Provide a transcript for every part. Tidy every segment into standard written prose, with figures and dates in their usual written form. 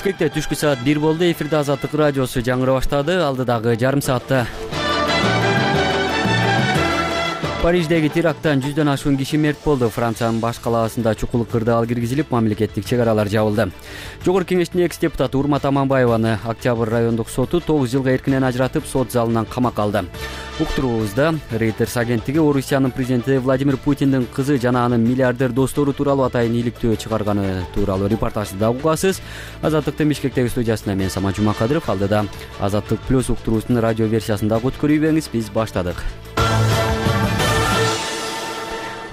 Бишкекте түшкү саат 1 болду. Эфирде Азаттык радиосу жаңыра баштады. Алдыдагы жарым саатта Париждеги теракттан 100дөн ашуун киши мерт болду. Франциянын баш калаасында чукул кырдаал киргизилип, мамлекеттик чек аралар жабылды. Жогорку кеңештин экс депутаты Урмат Аманбаеваны Октябрь райондук соту 9 жылга эркинен ажыратып, сот залынан камакка алды. Уктуруубузда Reuters агенттиги Орусиянын президенти Владимир Путиндин кызы жана анын миллиардер достору тууралуу атайын иликтөө чыгарганы тууралуу репортажды да угасыз. Азаттыктын Бишкектеги студиясында мен Самат Жумакадыров. Алдыда Азаттык плюс уктуруусунун радио версиясын дагы көрүп, биз баштадык.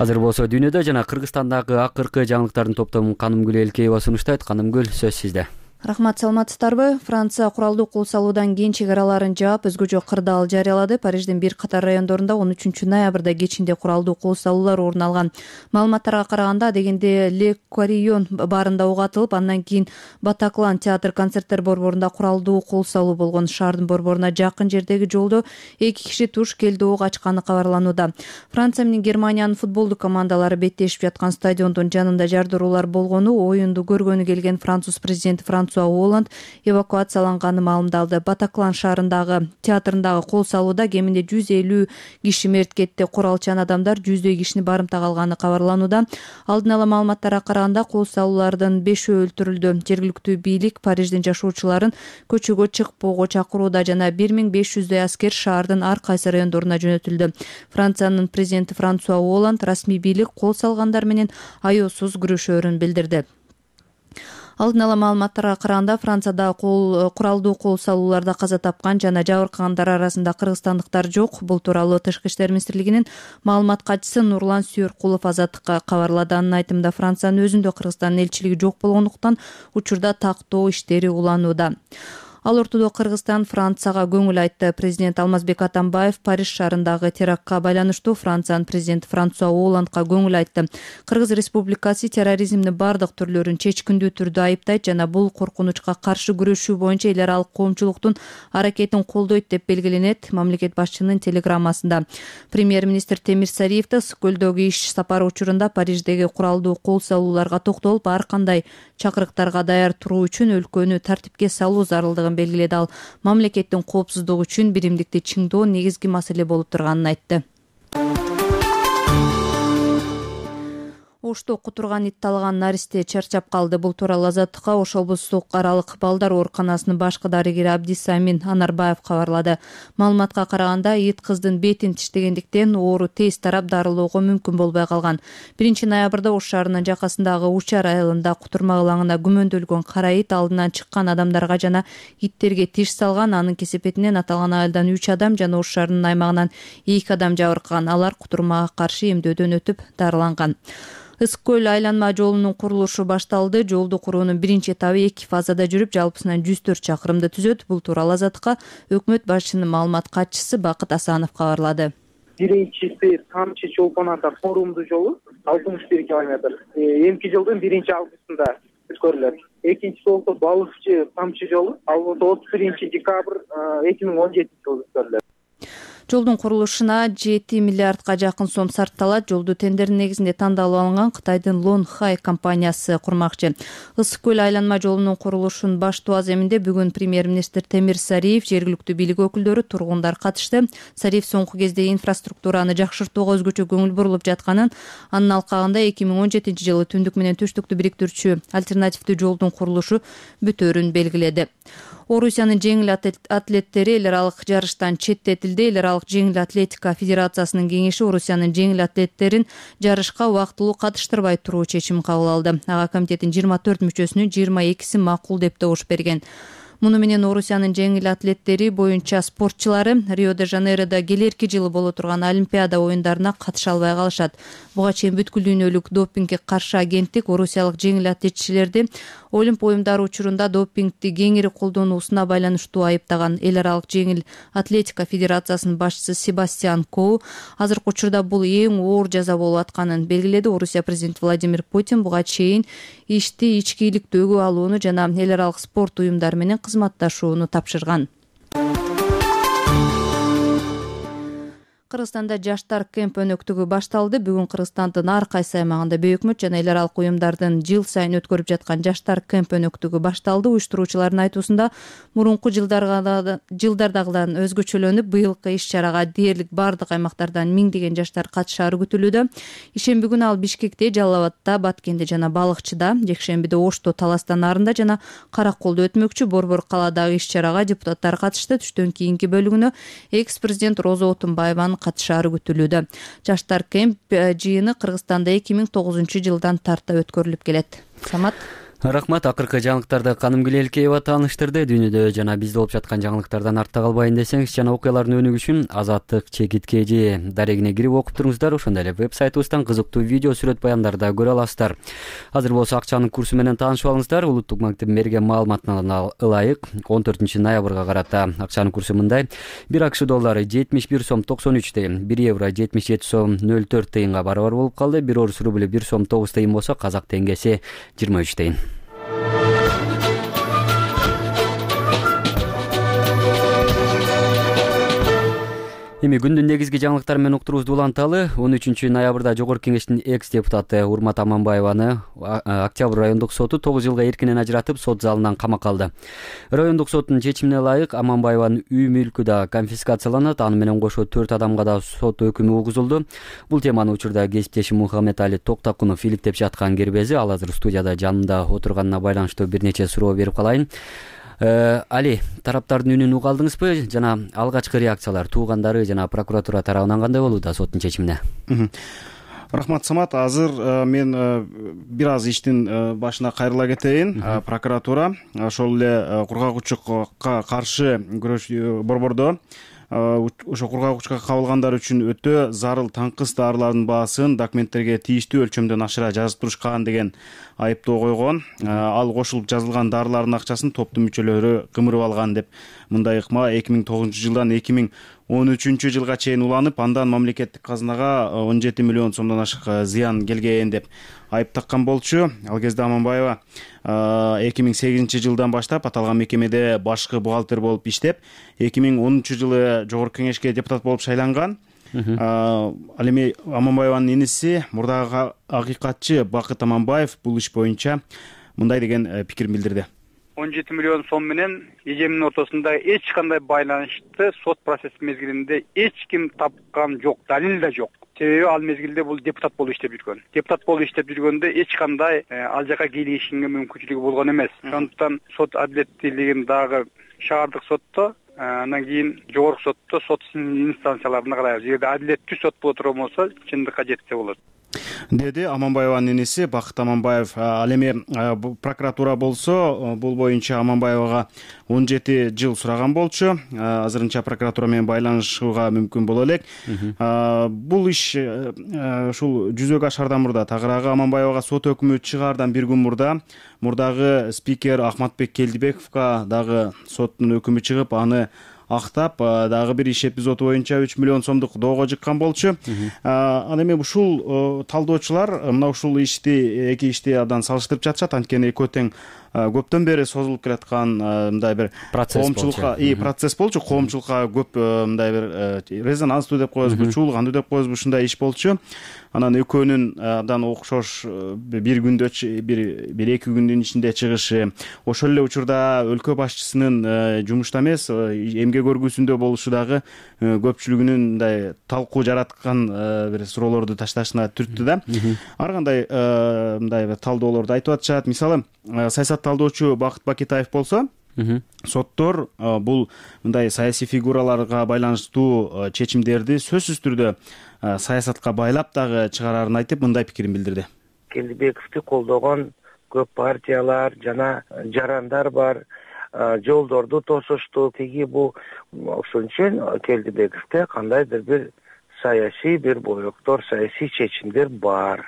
Азыр болсо дүйнөдө жана Кыргызстандагы акыркы жаңылыктардын топтомун Канымгүл Элкеева сунуштайт. Канымгүл, сөз сизде. Рахмат, саламатсыздарбы? Франция куралдуу кол салуудан кийин чек араларын жаап, өзгөчө кырдаал жарыялады. Париждин бир катар райондорунда 13 ноябрда кечинде куралдуу кол салуулар орун алган. Маалыматтарга караганда, дегенде Ле Карион баарында ок атылып, андан кийин Батаклан театр концерттер борборунда куралдуу кол салуу болгон. Шаардын борборуна жакын жердеги жолдо 2 киши туш келди ок ачканы кабарланууда. Франция менен Германиянын футболдук командалары беттешип жаткан стадиондун жанында жардыруулар болгону, оюнду көргөнү келген француз президенти Франсуа Оланд эвакуацияланганы маалымдалды. Батаклан шаарындагы театрындагы кол салууда кеминде 150 киши мерт кетти. Куралчан адамдар 100дөй кишини барымтага алганы кабарланууда. Алдын ала маалыматтарга караганда, кол салуулардын 5-өө өлтүрүлдү. Жергиликтүү бийлик Париждин жашоочуларын көчөгө чыкпоого чакырууда жана 1500дөй аскер шаардын ар кайсы райондоруна жөнөтүлдү. Франциянын президенти Франсуа Оланд расмий бийлик кол салгандар менен аяосуз күрөшөөрүн билдирди. Алдын ала маалыматтарга караганда, Францияда куралдуу кол салууларда каза тапкан жана жабыркагандар арасында кыргызстандыктар жок. Бул тууралуу Тышкы иштер министрлигинин маалымат катчысы Нурлан Сүйөркулов Азаттыкка кабарлады. Анын айтымында, Франциянын өзүндө Кыргызстандын элчилиги жок болгондуктан учурда тактоо иштери уланууда. Ал ортодо Кыргызстан Францияга көңүл айтты. Президент Алмазбек Атамбаев Париж шаарындагы терактка байланыштуу Франциянын президенти Франсуа Оландка көңүл айтты. Кыргыз Республикасы терроризмдин бардык түрлөрүн чечкиндүү түрдө айыптайт жана бул коркунучка каршы күрөшүү боюнча эл аралык коомчулуктун аракетин колдойт деп белгиленет мамлекет башчынын телеграммасында. Премьер-министр Темир Сариев да Ысык-Көлдөгү иш сапары учурунда Париждеги куралдуу кол салууларга токтолуп, ар кандай чакырыктарга даяр туруу үчүн өлкөнү тартипке салуу зарылдыгын белгиледи. Ал мамлекеттин коопсуздугу үчүн биримдикти чыңдоо негизги маселе болуп турганын айтты. Ошто кутурган ит талаган наристе чарчап калды. Бул тууралуу Азаттыкка Ош облустук аралык балдар ооруканасынын башкы дарыгери Абдисамин Анарбаев кабарлады. Маалыматка караганда, ит кыздын бетин тиштегендиктен оору тез тарап дарылоого мүмкүн болбой калган. 1 ноябрда Ош шаарынын жакасындагы Учар айылында кутурма ылаңына күмөндөлгөн кара ит алдынан чыккан адамдарга жана иттерге тиш салган. Анын кесепетинен аталган айылдан 3 адам жана Ош шаарынын аймагынан 2 адам жабыркаган. Алар кутурмага каршы эмдөөдөн өтүп дарыланган. Ысык-Көл айланма жолунун курулушу башталды. Жолду куруунун биринчи этабы 2 фазада жүрүп, жалпысынан 104 чакырымды түзөт. Бул тууралуу Азаттыкка өкмөт башчынын маалымат катчысы Бакыт Асанов кабарлады. Биринчиси Тамчы Чолпон ата форумдуу жолу 61 километр. Эмки жылдын 1-августунда өткөрүлөт. Экинчиси болсо Балыкчы Тамчы жолу, ал болсо 31-декабрь 2017 жылы өткөрүлөт. Жолдун курулушуна 7 миллиардга жакын сом сарпталат. Жолду тендердин негизинде тандалып алынган Кытайдын Лон Хай компаниясы курмакчы. Ысык-Көл айланма жолунун курулушунун баштоо аземинде бүгүн премьер-министр Темир Сариев, жергиликтүү бийлик өкүлдөрү, тургундар катышты. Сариев соңку кезде инфраструктураны жакшыртууга өзгөчө көңүл бурулуп жатканын, анын алкагында 2017 жылы түндүк менен түштүктү бириктирүүчү альтернативдүү жолдун курулушу бүтөөрүн белгиледи. Орусиянын жеңил атлеттери эл аралык жарыштан четтетилди. Эл аралык жеңил атлетика федерациясынын кеңеши Орусиянын жеңил атлеттерин жарышка убактылуу катыштырбай туруу чечим кабыл алды. Ага комитеттин 24 мүчөсүнүн 22си макул деп добуш берген. Муну менен Орусиянын жеңил атлеттери боюнча спортчулары Рио-де-Жанейродо келерки жылы боло турган Олимпиада оюндарына катыша албай калышат. Буга чейин бүткүл дүйнөлүк допингге каршы агенттик орусиялык жеңил атлетчилерди Олимп оюндары учурунда допингди кеңири колдонуусуна байланыштуу айыптаган. Эл аралык жеңил атлетика федерациясынын башчысы Себастьян Коу азыркы учурда бул эң оор жаза болуп атканын белгиледи. Орусия президенти Владимир Путин буга чейин ишти ички иликтөөгө алууну жана эл аралык спорт уюмдары менен кызматташууну тапшырган. Кыргызстанда жаштар кемп өнөктүгү башталды. Бүгүн Кыргызстандын ар кайсы аймагында өкмөт жана эл аралык уюмдардын жыл сайын өткөрүп жаткан жаштар кемп өнөктүгү башталды. Уюштуруучулардын айтуусунда мурунку жылдардагыдан өзгөчөлөнүп, быйылкы иш-чарага дээрлик бардык аймактардан миңдеген жаштар катышаары күтүлүүдө. Ишемби күнү ал Бишкекте, Жалал Абадта, Баткенде жана Балыкчыда, жекшембиде Ошто, Таласта, Нарында жана Караколдо өтмөкчү. Борбор калаадагы иш-чарага депутаттар катышты. Түштөн кийинки бөлүгүнө экс-президент Роза Отунбаеванын катышаары күтүлүүдө. Жаштар кемп жыйыны Кыргызстанда 2009 жылдан тарта өткөрүлүп келет. Самат. Рахмат. Акыркы жаңылыктарды Каным Гилелкеева тааныштырды. Дүйнөдө жана бизде болуп жаткан жаңылыктардан артта калбайын десеңиз жана окуялардын өнүгүшүн Азаттык чекит.kg дарегине кирип окуп туруңуздар. Ошондой эле веб-сайтыбыздан кызыктуу видео сүрөт баяндарды да көрө аласыздар. Азыр болсо акчанын курсу менен таанышып алыңыздар. Улуттук банктын берген маалыматына ылайык 14 ноябрга карата акчанын курсу мындай: 1 АКШ доллары 71 сом 93 тыйын, 1 евро 77 сом 04 тыйынга барабар болуп калды. 1 орус рубль 1 сом 9 тыйын болсо, казак теңгеси 23 тыйын. Эми күндүн негизги жаңылыктары менен уктуруубузду уланталы. 13 ноябрда Жогорку Кеңештин экс-депутаты Урмат Аманбаеваны Октябрь райондук соту 9 жылга эркинен ажыратып, сот залынан камакка алды. Райондук соттун чечимине ылайык Аманбаеванын үй мүлкү да конфискацияланат, аны менен кошо 4 адамга да сот өкүмү угузулду. Бул теманы учурда кесиптешим Мухаммед Али Токтакунов иликтеп жаткан кербези. Ал азыр студияда жанымда отурганына байланыштуу бир нече суроо берип калайын. Али, тараптардын үнүн уга алдыңызбы жана алгачкы реакциялар туугандары жана прокуратура тарабынан кандай болууда соттун чечимине? Рахмат, Самат. Азыр мен бир аз иштин башына кайрыла кетейин. Прокуратура ошол эле кургагучукка каршы күрөш борбордо ошо кургагучка кабылгандар үчүн өтө зарыл таңкыс дарылардын баасын документтерге тийиштүү өлчөмдөн ашыра жазып турушкан деген айыптоо койгон. Ал кошулуп жазылган дарылардын акчасын топтун мүчөлөрү кымырып алган деп мындай ыкма 2009 жылдан 2013 жылга чейин уланып, андан мамлекеттик казынага 17 миллион сомдон ашык зыян келген деп айып таккан болчу. Ал кезде Аманбаева 2008 жылдан баштап аталган мекемеде башкы бухгалтер болуп иштеп, 2010 жылы Жогорку Кеңешке депутат болуп шайланган. Ал эми Аманбаеванын иниси, мурдагы акыйкатчы Бакыт Аманбаев бул иш боюнча мындай деген пикир билдирди. 17 миллион сом менен эжемдин ортосунда эч кандай байланышты сот процесс мезгилинде эч ким тапкан жок, далил да жок. Себеби ал мезгилде бул депутат болуп иштеп жүргөн. Депутат болуп иштеп жүргөндө эч кандай ал жака келишимге мүмкүнчүлүгү болгон эмес. Ошондуктан сот адилеттүүлүгүн дагы шаардык сотто, андан кийин жогорку сотто, сот инстанцияларына карайбыз. Эгерде адилеттүү сот боло турган болсо, чындыкка жетсе болот, деди Аманбаеванын иниси Бакыт Аманбаев. Ал эми прокуратура болсо бул боюнча Аманбаевага 17 жыл сураган болчу. Азырынча прокуратура менен байланышууга мүмкүн боло элек. Бул иш ушул жүзөгө ашаардан мурда, тагыраагы Аманбаевага сот өкүмү чыгаардан бир күн мурдагы спикер Ахматбек Келдибековго дагы соттун өкүмү чыгып, аны актап, дагы бир иш эпизоду боюнча 3 миллион сомдук доого жыккан болчу. Ал эми ушул талдоочулар мына ушул ишти, эки ишти абдан салыштырып жатышат. Анткени экөө тең көптөн бери созулуп келаткан мындай бир коомчулукка, процесс болчу. Коомчулукка көп мындай бир резонанстуу деп коебузбу, чуулгандуу деп коебузбу, ушундай иш болчу. Анан экөөнүн абдан окшош бир күндө, бир эки күндүн ичинде чыгышы, ошол эле учурда өлкө башчысынын жумушта эмес, эмгек өргүүсүндө болушу дагы көпчүлүгүнүн мындай талкуу жараткан бир суроолорду ташташына түрттү да. Ар кандай мындай бир талдоолорду айтып атышат. Мисалы, саясат талдоочу Бакыт Бакетаев болсо, соттор бул мындай саясий фигураларга байланыштуу чечимдерди сөзсүз түрдө саясатка байлап дагы чыгарарын айтып, мындай пикирин билдирди. Келдибековду колдогон көп партиялар жана жарандар бар, жолдорду тосушту, тиги бул. Ошон үчүн Келдибековде кандайдыр бир саясий бир боектор, саясий чечимдер бар.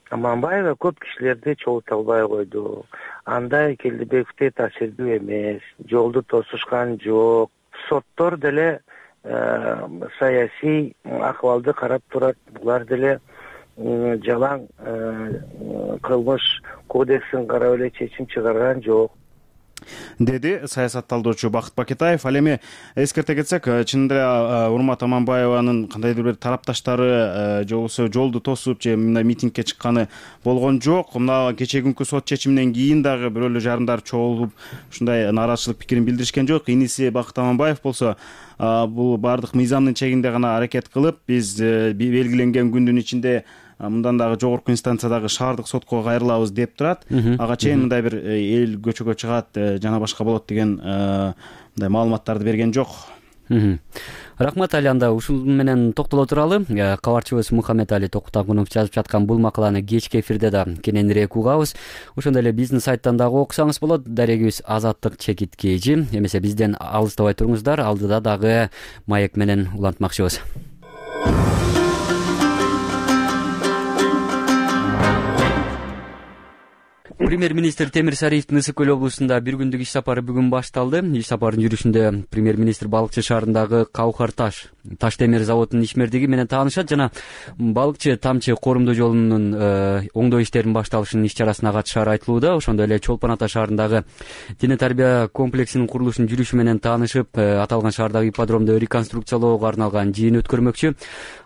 Аманбаева көп кишилерди чогулта албай койду. Андай Келдибековде таасирдүү эмес, жолду тосушкан жок. Соттор деле саясий акыбалды карап турат. Булар деле жалаң кылмыш кодексин карап эле чечим чыгарган жок. деди саясат талдоочу Бакыт Бакетаев. Ал эми эскерте кетсек, чынында эле Урмат Аманбаеванын кандайдыр бир тарапташтары же болбосо жолду тосуп же мындай митингге чыкканы болгон жок. Мына кечээ күнкү сот чечиминен кийин дагы бирөөлөр жарандар чогулуп ушундай нааразычылык пикирин билдиришкен жок. Иниси Бакыт Аманбаев болсо бул баардык мыйзамдын чегинде гана аракет кылып, биз белгиленген күндүн ичинде мындан дагы жогорку инстанциядагы шаардык сотко кайрылабыз деп турат. Ага чейин мындай бир эл көчөгө чыгат, жана башка болот деген мындай маалыматтарды берген жок. Рахмат Али, анда ушул менен токтоло туралы. Кабарчыбыз Мухаммед Али Токутагунов жазып жаткан бул макаланы кечки эфирде да кененирээк угабыз. Ошондой эле биздин сайттан дагы окусаңыз болот. Дарегибиз Азаттык чекиткейжи. Эмесе бизден алыстабай туруңуздар. Алдыда дагы маек менен улантмакчыбыз. Премьер-министр Темир Сариевдин Ысык Көл облусунда бир күндүк иш сапары бүгүн башталды. Иш сапарынын жүрүшүндө премьер-министр Балыкчы шаарындагы Каухар таш темир заводунун ишмердиги менен таанышат жана Балыкчы Тамчы коомдук жолунун оңдоо иштеринин башталышынын иш чарасына катышаары айтылууда. Ошондой эле Чолпон Ата шаарындагы диний тарбия комплексинин курулушунун жүрүшү менен таанышып, аталган шаардагы ипподромду реконструкциялоого арналган жыйын өткөрмөкчү.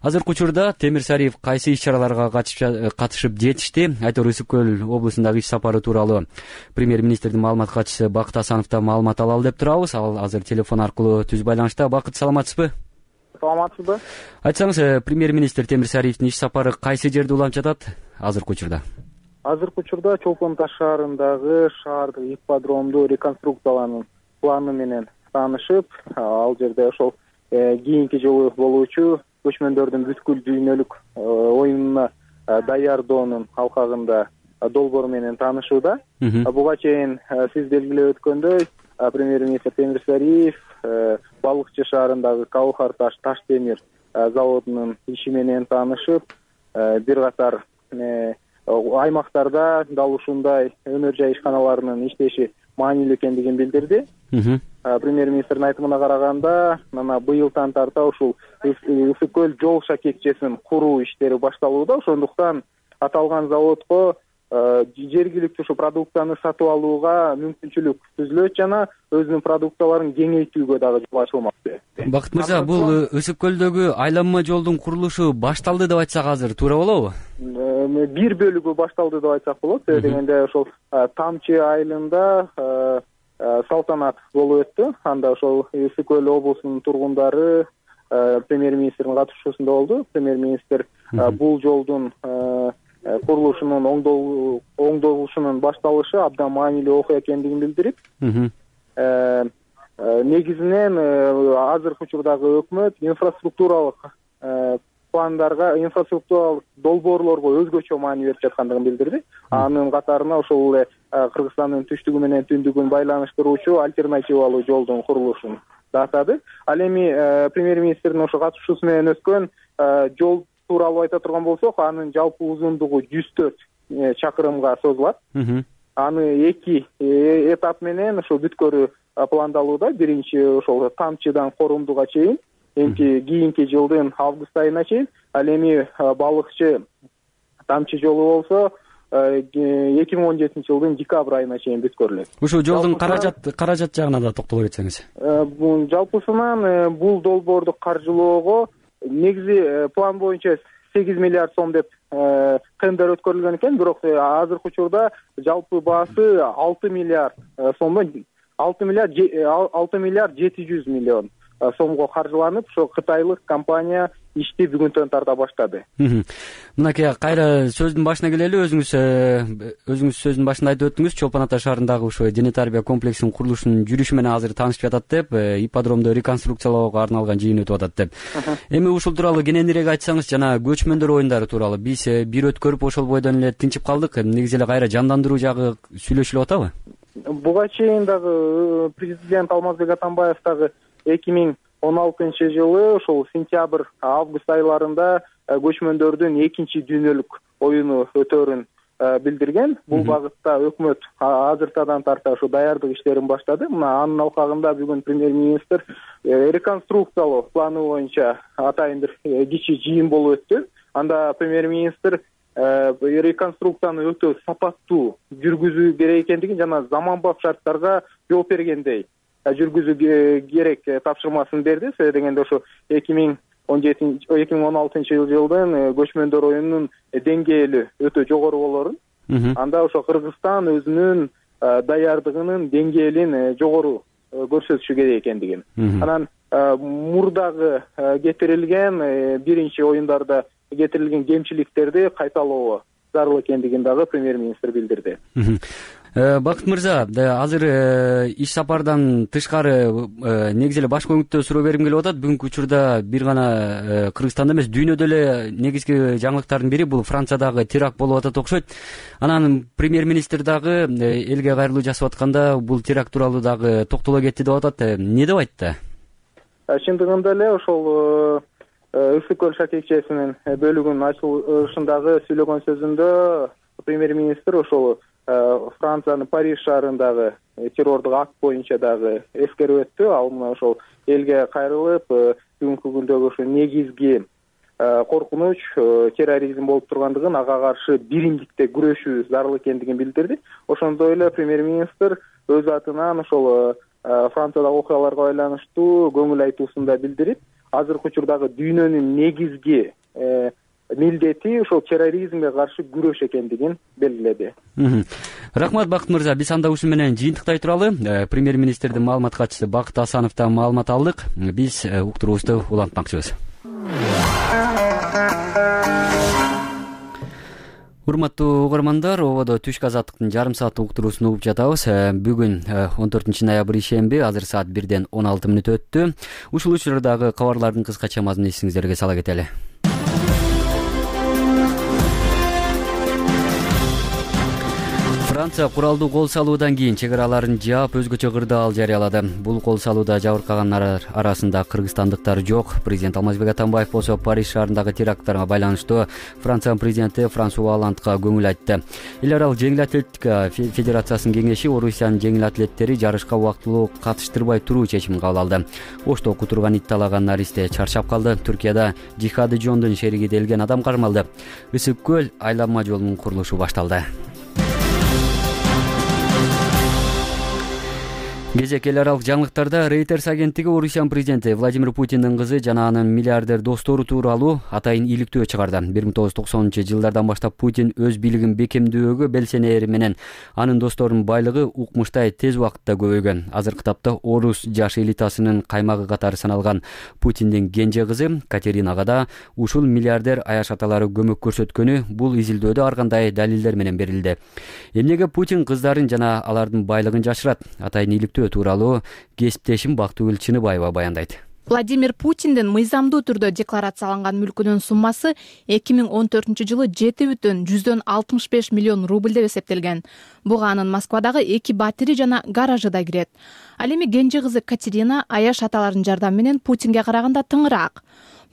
Азыркы учурда Темир Сариев кайсы иш чараларга катышып жетишти? Айтор Ысык Көл облусундагы иш сапары тууралуу премьер-министрдин маалымат катчысы Бакыт Асановдон маалымат алалы деп турабыз. Ал азыр телефон аркылуу түз байланышта. Бакыт, саламатсызбы? Саламатсызбы. Айтсаңыз, премьер-министр Темир Сариевдин иш сапары кайсы жерде уланып жатат азыркы учурда? Азыркы учурда Чолпон Ата шаарындагы шаардык ипподромду реконструкциялаанын планы менен таанышып, ал жерде ошол кийинки жылы болуучу көчмөндөрдүн бүткүл дүйнөлүк оюнуна даярдоонун алкагында долбоор менен таанышууда. Буга чейин сиз белгилеп өткөндөй, премьер-министр Темир Сариев Балыкчы шаарындагы Каухар таш темир заводунун иши менен таанышып, бир катар аймактарда дал ушундай өнөр жай ишканаларынын иштеши маанилүү экендигин билдирди. Премьер-министрдин айтымына караганда, мына быйылдан тарта ушул Ысык Көл жол шакекчесин куруу иштери башталууда. Ошондуктан аталган заводко жергиликтүү ушу продукцияны сатып алууга мүмкүнчүлүк түзүлөт жана өзүнүн продукцияларын кеңейтүүгө дагы жол ачылмак. Бакыт мырза, бул Ысык Көлдөгү айланма жолдун курулушу башталды деп айтсак азыр туура болобу? Бир бөлүгү башталды деп айтсак болот. Себеби дегенде ошол Тамчы айылында салтанат болуп өттү. Анда ошол Ысык Көл облусунун тургундары премьер-министрдин катышуусунда болду. Премьер-министр бул жолдун курулушунун оңдолушунун башталышы абдан маанилүү окуя экендигин билдирип, негизинен азыркы учурдагы өкмөт инфраструктуралык пландарга, инфраструктуралык долбоорлорго өзгөчө маани берип жаткандыгын билдирди. Анын катарына ошол эле Кыргызстандын түштүгү менен түндүгүн байланыштыруучу альтернативалуу жолдун курулушун да атады. Ал эми премьер-министрдин ошо катышуусу менен өткөн жол тууралуу айта турган болсок, анын жалпы узундугу 104 чакырымга созулат. Аны 2 этап менен ошо бүткөрүү пландалууда. Биринчи ошол Тамчыдан Корумдуга чейин, кийинки жылдын август айына чейин. Ал эми Балыкчы Тамчы жолу болсо 2017 жылдын декабрь айына чейин бүткөрүлөт. Ушул жолдун каражат жагына да токтоло кетсеңиз. Жалпысынан бул долбоорду каржылоого негизи план боюнча 8 миллиард сом деп тендер өткөрүлгөн экен, бирок азыркы учурда жалпы баасы 6 миллиард сомдон 6 миллиард 700 миллион сомго каржыланып, ошо кытайлык компания ишти бүгүнтөн тарта баштады. Мынакей кайра сөздүн башына келели. Өзүңүз сөздүн башында айтып өттүңүз, Чолпон Ата шаарындагы ушул диний тарбия комплексинин курулушунун жүрүшү менен азыр таанышып жатат деп, ипподромду реконструкциялоого арналган жыйын өтүп атат деп. Эми ушул тууралуу кененирээк айтсаңыз, жана көчмөндөр оюндары тууралуу биз бир өткөрүп ошол бойдон эле тынчып калдык. Негизи эле кайра жандандыруу жагы сүйлөшүлүп атабы? Буга чейин дагы президент Алмазбек Атамбаев дагы 2016 жылы ошол сентябрь, август айларында көчмөндөрдүн экинчи дүйнөлүк оюну өтөөрүн билдирген. Бул багытта өкмөт азыртадан тарта ошо даярдык иштерин баштады. Мына анын алкагында бүгүн премьер-министр реконструкциялоо планы боюнча атайын бир кичи жыйын болуп өттү. Анда премьер-министр реконструкцияны өтө сапаттуу жүргүзүү керек экендигин жана заманбап шарттарга жооп бергендей жүргүзүү керек тапшырмасын берди. Себеби дегенде ошо 2016 жылдын көчмөндөр оюнунун деңгээли өтө жогору болорун, анда ошо Кыргызстан өзүнүн даярдыгынын деңгээлин жогору көрсөтүшү керек экендигин, анан мурдагы кетирилген биринчи оюндарда кетирилген кемчиликтерди кайталоо зарыл экендигин дагы премьер-министр билдирди. Бакыт мырза, азыр иш сапардан тышкары негизи эле башкы өңүттө суроо бергим келип атат. Бүгүнкү учурда бир гана Кыргызстанда эмес, дүйнөдө эле негизги жаңылыктардын бири бул Франциядагы теракт болуп атат окшойт. Анан премьер-министр дагы элге кайрылуу жасап атканда бул теракт тууралуу дагы токтоло кетти деп атат. Эмне деп айтты? Чындыгында эле ошол Ысык көл шакекчесинин бөлүгүнүн ачылышындагы сүйлөгөн сөзүндө премьер-министр ошол Франциянын Париж шаарындагы террордук акт боюнча дагы эскерип өттү. Ал мына ошол элге кайрылып, бүгүнкү күндөгү ошо негизги коркунуч терроризм болуп тургандыгын, ага каршы биримдикте күрөшүү зарыл экендигин билдирди. Ошондой эле премьер-министр өз атынан ошол Франциядагы окуяларга байланыштуу көңүл айтуусун да билдирип, азыркы учурдагы дүйнөнүн негизги милдети ошол терроризмге каршы күрөш экендигин белгиледи. Рахмат Бакыт мырза, биз анда ушун менен жыйынтыктай туралы. Премьер-министрдин маалымат катчысы Бакыт Асановдон маалымат алдык. Биз уктуруубузду улантмакчыбыз. Урматтуу угармандар, ободо Түшкү азаттыктын жарым сааттык уктуруусун угуп жатабыз. Бүгүн 14 ноябрь ишемби, азыр саат 1:16 өттү. Ушул учурдагы кабарлардын кыскача мазмунун эсиңиздерге сала кетели. Франция куралдуу кол салуудан кийин чек араларын жаап өзгөчө кырдаал жарыялады. Бул кол салууда жабыркагандар арасында кыргызстандыктар жок. Президент Алмазбек Атамбаев болсо Париж шаарындагы теракттарга байланыштуу Франциянын президенти Франсуа Олландга көңүл айтты. Эл аралык жеңил атлетика федерациясынын кеңеши Орусиянын жеңил атлеттери жарышка убактылуу катыштырбай туруу чечимин кабыл алды. Ошто окуу турган ит-талаган наристе чарчап калды. Түркияда Жихады Жондун шериги делген адам кармалды. Ысык көл айланма жолунун курулушу башталды. Кезек эл аралык жаңылыктарда Reuters агенттиги Орусиянын президенти Владимир Путиндин кызы жана анын миллиардер достору тууралуу атайын иликтөө чыгарды. 1990-жылдардан баштап Путин өз бийлигин бекемдөөгө белсенери менен анын досторунун байлыгы укмуштай тез убакытта көбөйгөн. Азыркы тапта орус жаш элитасынын каймагы катары саналган Путиндин кенже кызы Катеринага да ушул миллиардер аяш аталары көмөк көрсөткөнү бул изилдөөдө ар кандай далилдер менен берилди. Эмнеге Путин кыздарын жана алардын байлыгын жашырат? Атайын иликтөө тууралуу кесиптешим Бактыгүл Чыныбаева баяндайт. Владимир Путиндин мыйзамдуу түрдө декларацияланган мүлкүнүн суммасы 2014-жылы 7,165 миллион рубль деп эсептелген. Буга анын Москвадагы 2 батири жана гаражы да кирет. Ал эми кенже кызы Катерина аяш аталардын жардамы менен Путинге караганда тыңыраак.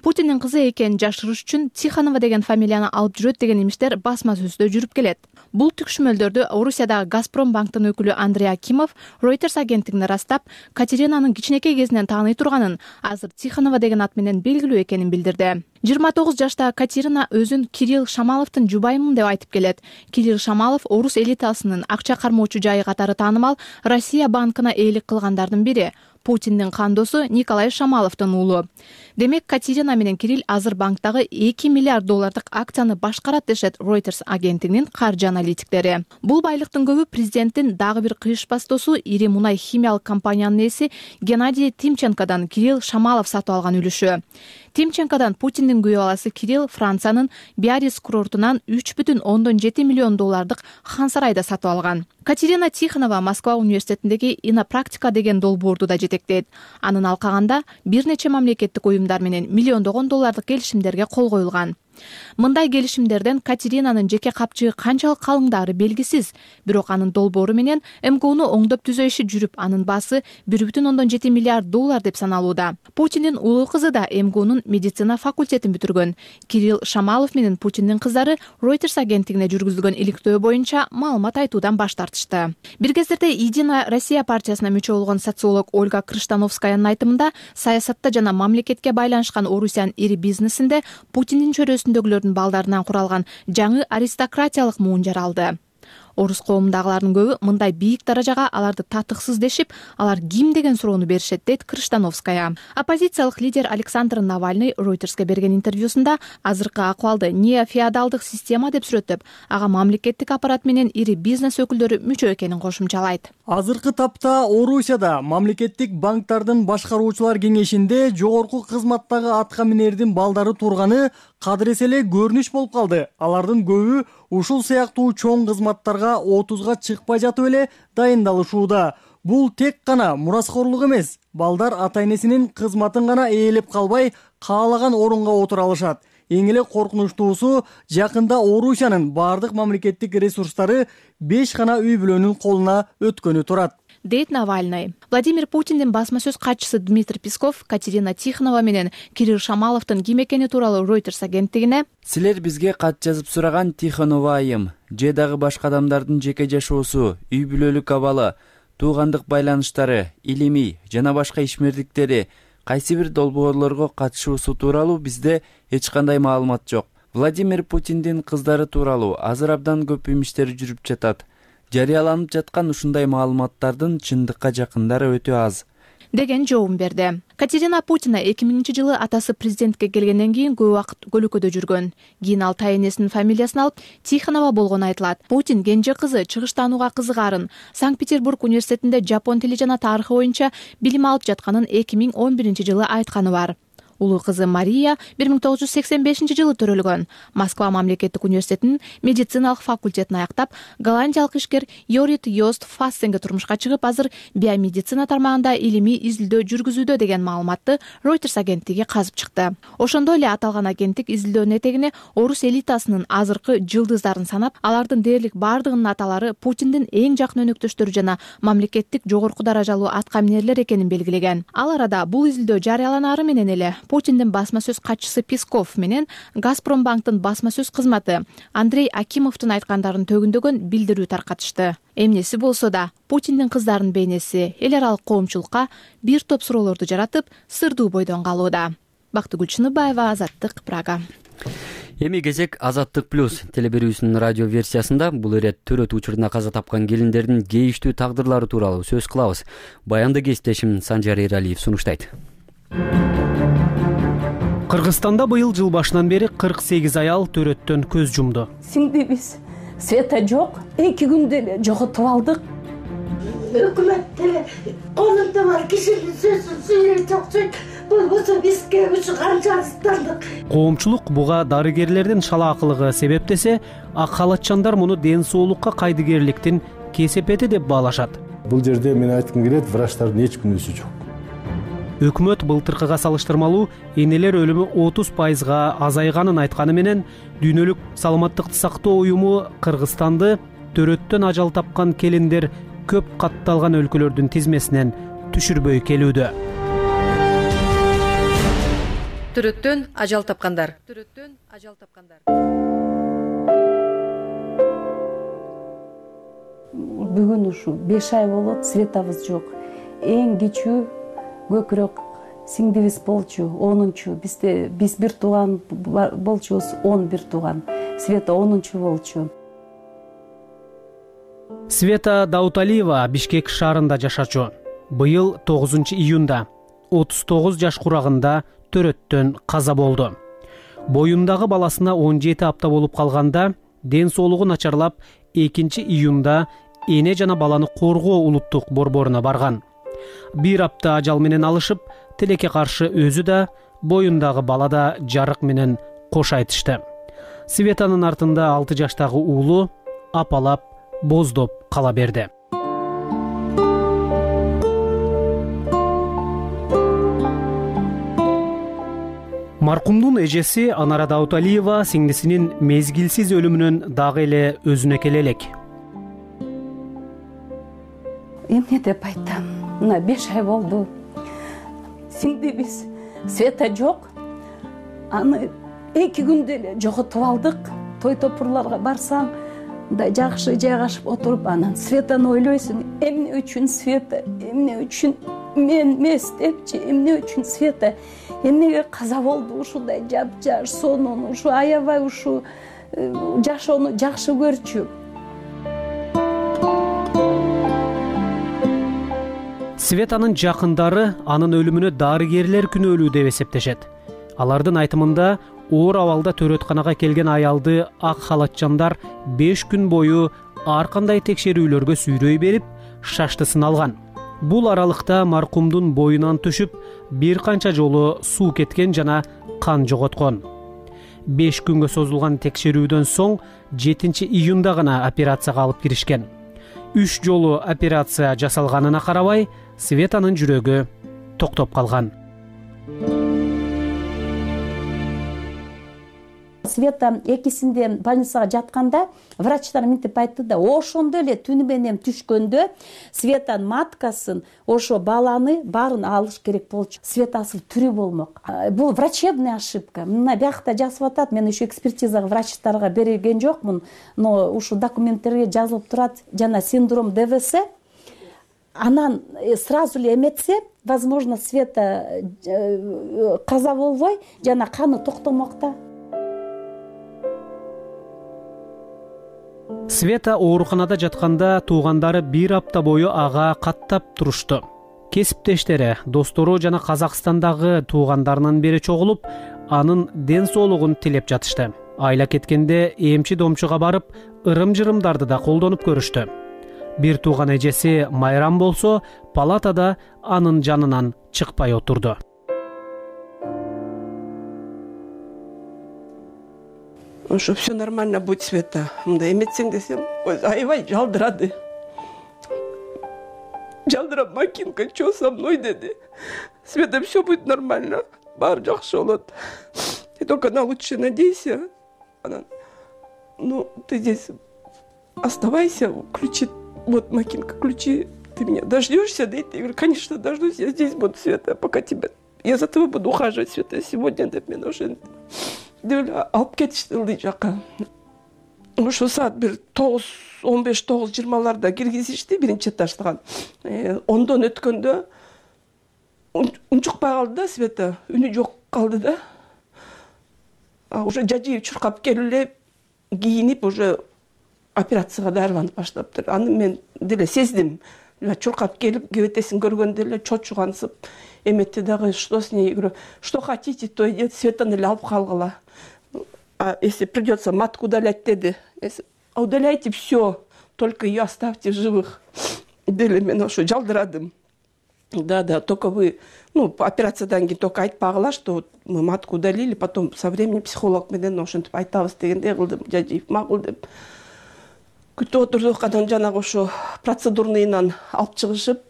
Путиндин кызы экенин жашырыш үчүн Тихонова деген фамилияны алып жүрөт деген имиштер басма сөздө жүрүп келет. Бул түкшүмөлдөрдү Орусиядагы Газпром банктын өкүлү Андрей Акимов Reuters агенттигине ырастап, Катеринанын кичинекей кезинен тааный турганын, азыр Тихонова деген ат менен белгилүү экенин билдирди. 29 жаштагы Катерина өзүн Кирилл Шамаловдун жубайымын деп айтып келет. Кирилл Шамалов орус элитасынын акча кармоочу жайы катары таанымал Россия банкына ээлик кылгандардын бири. Путиндин кандосу Николай Шамаловдун уулу. Демек, Катерина менен Кирилл азыр банктагы 2 миллиард доллардык акцияны башкарат дешет Reuters агенттигинин каржы аналитиктери. Бул байлыктын көбү президенттин дагы бир кыйышпас досу ири мунай химиялык компаниянын ээси Геннадий Тимченкодан Кирилл Шамалов сатып алган үлүшү. Тимченкодан Путиндин күйөө баласы Кирилл Франциянын Биарриц курортунан 3,7 миллион доллардык хан сарайда сатып алган. Катерина Тихонова Москва университетиндеги инопрактика деген долбоорду да жетектейт. Анын алкагында бир нече мамлекеттик уюмдар менен миллиондогон доллардык келишимдерге кол коюлган. Мындай келишимдерден Катеринанын жеке капчыгы канчалык калыңдары белгисиз, бирок анын долбоору менен МКУну оңдоп түзөө иши жүрүп, анын баасы 1,7 миллиард доллар деп саналууда. Путиндин улуу кызы да МКУнун медицина факультетин бүтүргөн. Кирилл Шамалов менен Путиндин кыздары Reuters агенттигине жүргүзүлгөн иликтөө боюнча маалымат айтуудан баш тартышты. Бир кездерде Единая Россия партиясына мүчө болгон социолог Ольга Крыштановскаянын айтымында, саясатта жана мамлекетке байланышкан Орусиянын ири бизнесинде Путиндин чөрөсү чөйрөсүндөгүлөрдүн балдарынан куралган жаңы аристократиялык муун жаралды. Орус коомундагылардын көбү мындай бийик даражага аларды татыксыз дешип, алар ким деген суроону беришет, дейт Крыштановская. Оппозициялык лидер Александр Навальный Ройтерске берген интервьюсунда азыркы акыбалды неофеодалдык система деп сүрөттөп, ага мамлекеттик аппарат менен ири бизнес өкүлдөрү мүчө экенин кошумчалайт. Азыркы тапта Орусияда мамлекеттик банктардын башкаруучулар кеңешинде жогорку кызматтагы атка минердин балдары турганы кадырес эле көрүнүш болуп калды. Алардын көбү ушул сыяктуу чоң кызматтарга 30га чыкпай жатып эле дайындалышууда. Бул тек гана мураскорлук эмес. Балдар ата-энесинин кызматын гана ээлеп калбай, каалаган орунга отура алышат. Эң эле коркунучтуусу, жакында Орусиянын бардык мамлекеттик ресурстары 5 гана үй бүлөнүн колуна өткөнү турат, дейт Навальный. Владимир Путиндин басма сөз катчысы Дмитрий Песков Катерина Тихонова менен Кирилл Шамаловдун ким экени тууралуу Reuters агенттигине: "Силер бизге кат жазып сураган Тихонова айым же дагы башка адамдардын жеке жашоосу, үй бүлөлүк абалы, туугандык байланыштары, илимий жана башка ишмердиктери, кайсы бир долбоорлорго катышуусу тууралуу бизде эч кандай маалымат жок. Владимир Путиндин кыздары тууралуу азыр абдан көп имиштер жүрүп жатат. Жарыяланып жаткан ушундай маалыматтардын чындыкка жакындары өтө аз", деген жообун берди. Катерина Путина 2000-жылы атасы президентке келгенден кийин көп убакыт көлөкөдө жүргөн. Кийин ал тайэнесинин фамилиясын алып Тихонова болгону айтылат. Путин кенже кызы чыгыштанууга кызыгаарын, Санкт-Петербург университетинде жапон тили жана тарыхы боюнча билим алып жатканын 2011-жылы айтканы бар. Улуу кызы Мария 1985-жылы төрөлгөн. Москва мамлекеттик университетинин медициналык факультетин аяктап, голландиялык ишкер Йорит Йост Фассенге турмушка чыгып, азыр биомедицина тармагында илимий изилдөө жүргүзүүдө деген маалыматты Reuters агенттиги казып чыкты. Ошондой эле аталган агенттик изилдөөнүн этегине орус элитасынын азыркы жылдыздарын санап, алардын дээрлик бардыгынын аталары Путиндин эң жакын өнөктөштөрү жана мамлекеттик жогорку даражалуу атка минерлер экенин белгилеген. Ал арада бул изилдөө жарыяланары менен эле Путиндин басма сөз катчысы Песков менен Газпромбанктын басма сөз кызматы Андрей Акимовдун айткандарын төгүндөгөн билдирүү таркатышты. Эмнеси болсо да, Путиндин кыздарынын бейнеси эл аралык коомчулукка бир топ суроолорду жаратып, сырдуу бойдон калууда. Бактыгүл Чыныбаева, Азаттык, Прага. Эми кезек Азаттык плюс телеберүүсүнүн радио версиясында бул ирет төрөт учурунда каза тапкан келиндердин кейиштүү тагдырлары тууралуу сөз кылабыз. Баянды кесиптешим Санжар Эралиев сунуштайт. Кыргызстанда быйыл жыл башынан бери 48 аял төрөттөн көз жумду. Сиңдибиз света жок, 2 күндө эле жоготуп алдык. Өкмөттө колунда бар кишинин сөзүн сүйлөп болбосо бизге ушу канча арыздандык. Коомчулук буга дарыгерлердин шалаакылыгы себеп десе, ак халатчандар муну ден соолукка кайдыгерликтин кесепети деп баалашат. Бул жерде мен айткым келет, врачтардын эч күнөөсү жок. Өкмөт былтыркыга салыштырмалуу энелер өлүмү 30%га азайганын айтканы менен, дүйнөлүк саламаттыкты сактоо уюму Кыргызстанды төрөттөн ажал тапкан келиндер көп катталган өлкөлөрдүн тизмесинен түшүрбөй келүүдө. Төрөттөн ажал тапкандар. Бүгүн ушу 5 ай болот, светабыз жок. Эң кичүү көкүрөк сиңдибиз болчу, 10-чу. Биз бир тууган болчубуз, 11 тууган. Света 10-чу болчу. Света Дауталиева Бишкек шаарында жашачу. Быйыл 9-июнда 39 жаш курагында төрөттөн каза болду. Боюндагы баласына 17 апта болуп калганда ден соолугу начарлап 2-июнда эне жана баланы коргоо улуттук борборуна барган. 1 апта ажал менен алышып, тилекке каршы өзү да, боюндагы бала да жарык менен кош айтышты. Светанын артында 6 жаштагы уулу апалап, боздоп кала берди. Маркумдун эжеси Анара Дауталиева сиңдисинин мезгилсиз өлүмүнөн дагы эле өзүнөкел элек. Эмне деп айтам? Мына 5 ай болду. Сиңдибиз света жок. Аны 2 күндө эле жоготуп алдык. Той топурларга барсам, да жакшы жайгашып отуруп, анан светаны ойлойсуң, эмне үчүн света, эмне үчүн мен эмес депчи, эмне үчүн света эмнеге каза болду ушундай жапжаш сонун, ушу аябай ушу жашоону жакшы көрчү. Светанын жакындары анын өлүмүнө дарыгерлер күнөөлүү деп эсептешет. Алардын айтымында оор абалда төрөтканага келген аялды ак халатчандар 5 күн бою ар кандай текшерүүлөргө сүйрөй берип, шаштысын алган. Бул аралыкта маркумдун боюнан түшүп, бир канча жолу суу кеткен жана кан жоготкон. 5 күнгө созулган текшерүүдөн соң 7 июнда гана операцияга алып киришкен. 3 жолу операция жасалганына карабай, Светанын жүрөгү токтоп калган. Света экисинде больницага жатканда врачтар мынтип айтты да, ошондо эле түнү менен түшкөндө Светанын маткасын, ошо баланы баарын алыш керек болчу. Светасы тирүү болмок. Бул врачебная ошибка. Мына биякта жазып атат, мен еще экспертизага врачтарга берген жокмун, но ушу документтерге жазылып турат, жана синдром ДВС. Анан сразу эле эметсе, возможно, Света каза болбой, жана каны токтомок да. Света ооруканада жатканда туугандары 1 апта бою ага каттап турушту. Кесиптештери, достору жана Казакстандагы туугандарынын бери чогулуп, анын ден соолугун тилеп жатышты. Айла кеткенде эмчи домчуга барып, ырым-жырымдарды да колдонуп көрүштү. Бир тууган эжеси Майрам болсо, палатада анын жанынан чыкпай отурду. Что все нормально будет, Света. Мындай эметсең десем, аябай жалдырады. Жалдырап, Макинка, что со мной, деди. Света, все будет нормально. Баары жакшы болот. Ты только на лучшее надейся. Она, ну, ты здесь оставайся, ключи. Вот, Макинка, ключи. Ты меня дождешься, да? Я говорю, конечно, дождусь. Я здесь буду, Света, пока тебя... Я за тобой буду ухаживать, Света. Сегодня деп мен уже... алып кетишти ылдый жака. Ошо саат бир 9:15-9:20 киргизишти биринчи этаждан. 10дон өткөндө унчукпай калды да Света, үнү жок калды да. Уже жажыйып чуркап келип эле кийинип уже операцияга даярданып баштаптыр. Аны мен деле сездим. Чуркап келип, кебетесин көргөндө эле чочугансып эметти дагы, что с ней, говорю, что хотите, то идет, Светаны эле алып калгыла. А если придется матку удалять, деди, удаляйте все, только ее оставьте в живых. Дели мен ошо жалдырадым. Да, только вы, ну, операциядан кийин только айтпагыла, что мы матку удалили, потом со временем психолог менен ошентип айтабыз дегендей кылдым, жажыйып макул деп. Күтүп отурдук, анан жанагы ошо процедурныйынан алып чыгышып,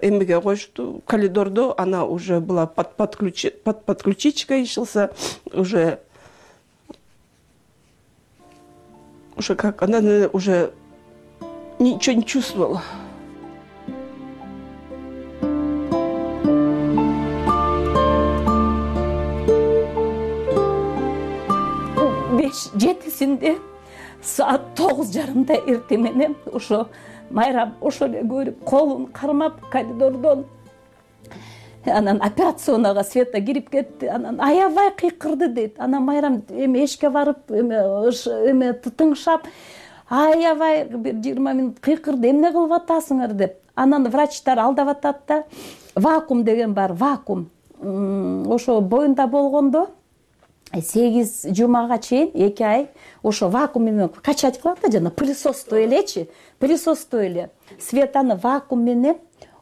эмеге коюшту коридордо, она уже была под подключичкой, ишился уже как она уже ничего не чувствовала. Жетисинде саат 9:30 эртең менен ошо Майрам ошо эле көрүп, колун кармап коридордон анан операционага Света кирип кетти. Анан аябай кыйкырды дейт. Анан Майрам эми эшикке барып, эме тыңшап, аябай бир 20 мүнөт кыйкырды. Эмне кылып атасыңар деп. Анан врачтар алдап атат да, вакуум деген бар, вакуум. Ошо боюнда болгондо 8 жумага чейин 2 ай ошо вакуум менен качать кылат да, жана пылесостой элечи, пылесостой эле. Светаны вакуум менен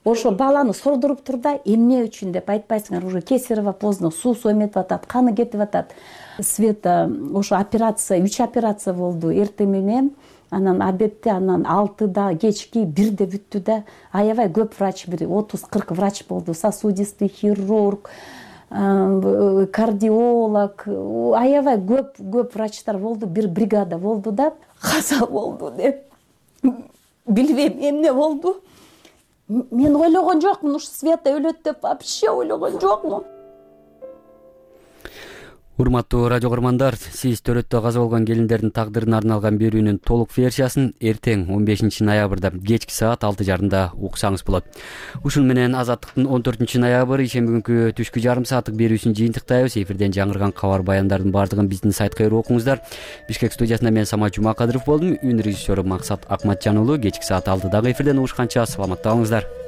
ошо баланы сордуруп тур да, эмне үчүн деп айтпайсыңар, уже кесарево поздно, суусу эметип атат, каны кетип атат. Света ошо операция, 3 операция болду эртең менен, анан обедте, анан 6да кечки 1де бүттү да. Аябай көп врач, бир 30-40 врач болду, сосудистый хирург, кардиолог, аябай көп врачтар болду, бир бригада болду да. Каза болду деп билбейм эмне болду. Мен ойлогон жокмун, ушу Света өлөт деп вообще ойлогон жокмун. Урматтуу радио көрөрмандар, сиз төрөттө каза болгон келиндердин тагдырына арналган берүүнүн толук версиясын эртең 15 ноябрда кечки саат 6:30 уксаңыз болот. Ушун менен Азаттыктын 14 ноябрь ишемби күнкү түшкү жарым сааттык берүүсүн жыйынтыктайбыз. Эфирден жаңырган кабар баяндардын баардыгын биздин сайтка кирип окуңуздар. Бишкек студиясында мен Самат Жумакадыров болдум. Үн режиссеру Максат Акматжан уулу. Кечки саат 6дагы эфирден угушканча саламатта калыңыздар.